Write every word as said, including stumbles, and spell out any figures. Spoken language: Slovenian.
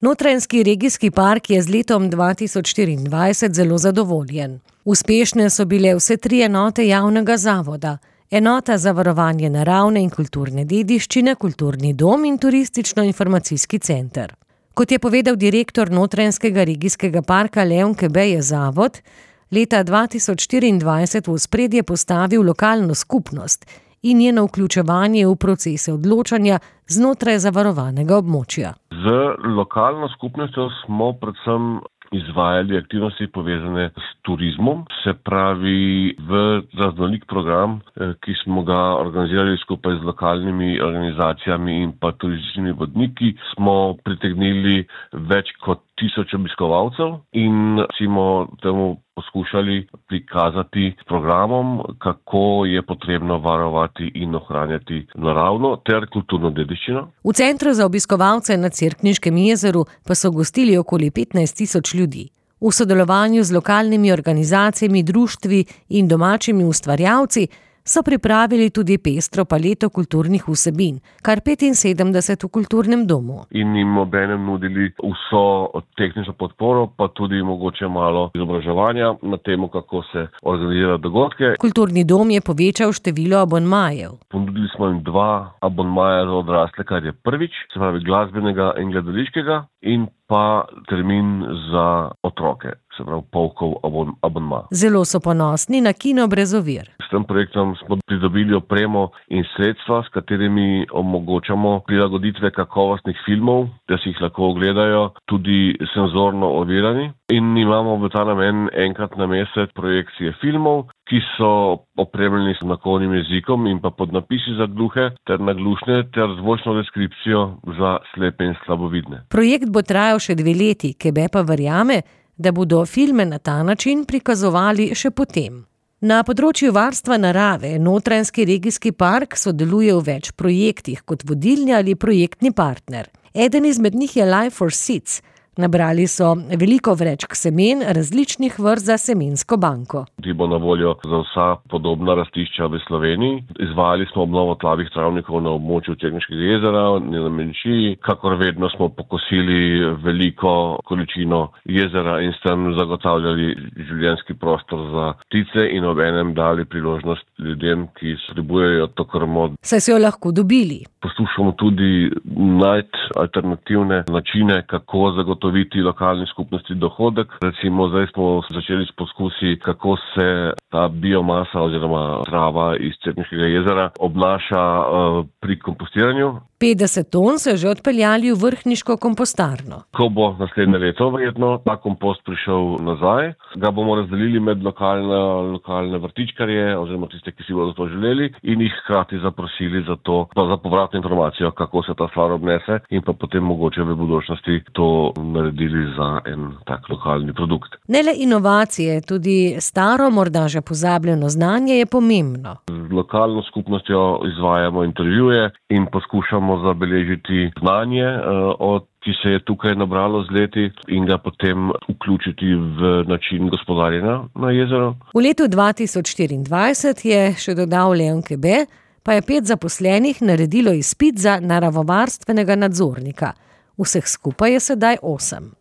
Notranjski regijski park je z letom dva tisoč štiriindvajset zelo zadovoljen. Uspešne so bile vse tri enote javnega zavoda. Enota za varovanje naravne in kulturne dediščine, kulturni dom in turistično-informacijski center. Kot je povedal direktor Notranjskega regijskega parka Leon Kebe, je zavod leta dva tisoč štiriindvajset v ospredje postavil lokalno skupnost in njeno vključevanje v procese odločanja znotraj zavarovanega območja. Z lokalno skupnostjo smo predvsem izvajali aktivnosti povezane s turizmom, se pravi v raznolik program, ki smo ga organizirali skupaj z lokalnimi organizacijami in pa turističnimi vodniki, smo pritegnili več kot tisoč obiskovalcev in smo temu poskušali prikazati s programom, kako je potrebno varovati in ohranjati naravno ter kulturno dediščino. V Centru za obiskovalce na Cerkniškem jezeru pa so gostili okoli petnajst tisoč ljudi. V sodelovanju z lokalnimi organizacijami, društvi in domačimi ustvarjalci so pripravili tudi pestro paleto kulturnih vsebin, kar petinsedemdeset v kulturnem domu. In jim obenem nudili vso tehnično podporo, pa tudi mogoče malo izobraževanja na temo, kako se organizira dogodke. Kulturni dom je povečal število abonmajev. Ponudili smo jim dva abonmaja za odrasle, kar je prvič, se pravi glasbenega in gledališkega, in pa termin za otroke, se pravi polkov abon, abonma. Zelo so ponosni na Kino brez ovir. S tem projektom smo pridobili opremo in sredstva, s katerimi omogočamo prilagoditve kakovostnih filmov, da si jih lahko ogledajo tudi senzorno ovirani. In imamo v ta namen enkrat na mesec projekcije filmov, ki so opremljeni s znakovnim jezikom in pa podnapisi za gluhe ter naglušne ter zvočno deskripcijo za slepe in slabovidne. Projekt bo trajal še dve leti, Kebe pa verjame, da bodo filme na ta način prikazovali še potem. Na področju varstva narave Notranjski regijski park sodeluje v več projektih kot vodilni ali projektni partner. Eden izmed njih je Life for Seeds. Nabrali so veliko vrečk semen različnih vrst za semensko banko. Ti bo na voljo za vsa podobna rastišča v Sloveniji. Izvajali smo obnovo tlavih travnikov na območju Cerkniškega jezera, na Menšiji. Kakor vedno smo pokosili veliko količino jezera in s tem zagotavljali življenjski prostor za ptice in obenem dali priložnost ljudem, ki potrebujejo to krmo. Saj so jo lahko dobili. Poskušamo tudi najti alternativne načine, kako zagotoviti lokalni skupnosti dohodek. Recimo zdaj smo začeli s poskusi, kako se ta biomasa oziroma trava iz Cerkniškega jezera obnaša uh, pri kompostiranju. petdeset ton so že odpeljali v vrhniško kompostarno. Ko bo naslednje leto verjetno ta kompost prišel nazaj, ga bomo razdelili med lokalne, lokalne vrtičkarje oziroma tiste, ki si bodo to želeli, in jih hkrati zaprosili za to, za povratno informacijo, kako se ta stvar obnese, in pa potem mogoče v budućnosti to naredili za en tak lokalni produkt. Ne le inovacije, tudi staro, morda že pozabljeno znanje je pomembno. Z lokalno skupnostjo izvajamo intervjuje in poskušamo zabeležiti znanje, od, ki se je tukaj nabralo z leti, in ga potem vključiti v način gospodarjenja na jezeru. V letu dva tisoč štiriindvajset je še dodal Leon Kebe, pa je pet zaposlenih naredilo izpit za naravovarstvenega nadzornika. Vseh skupaj je sedaj osem.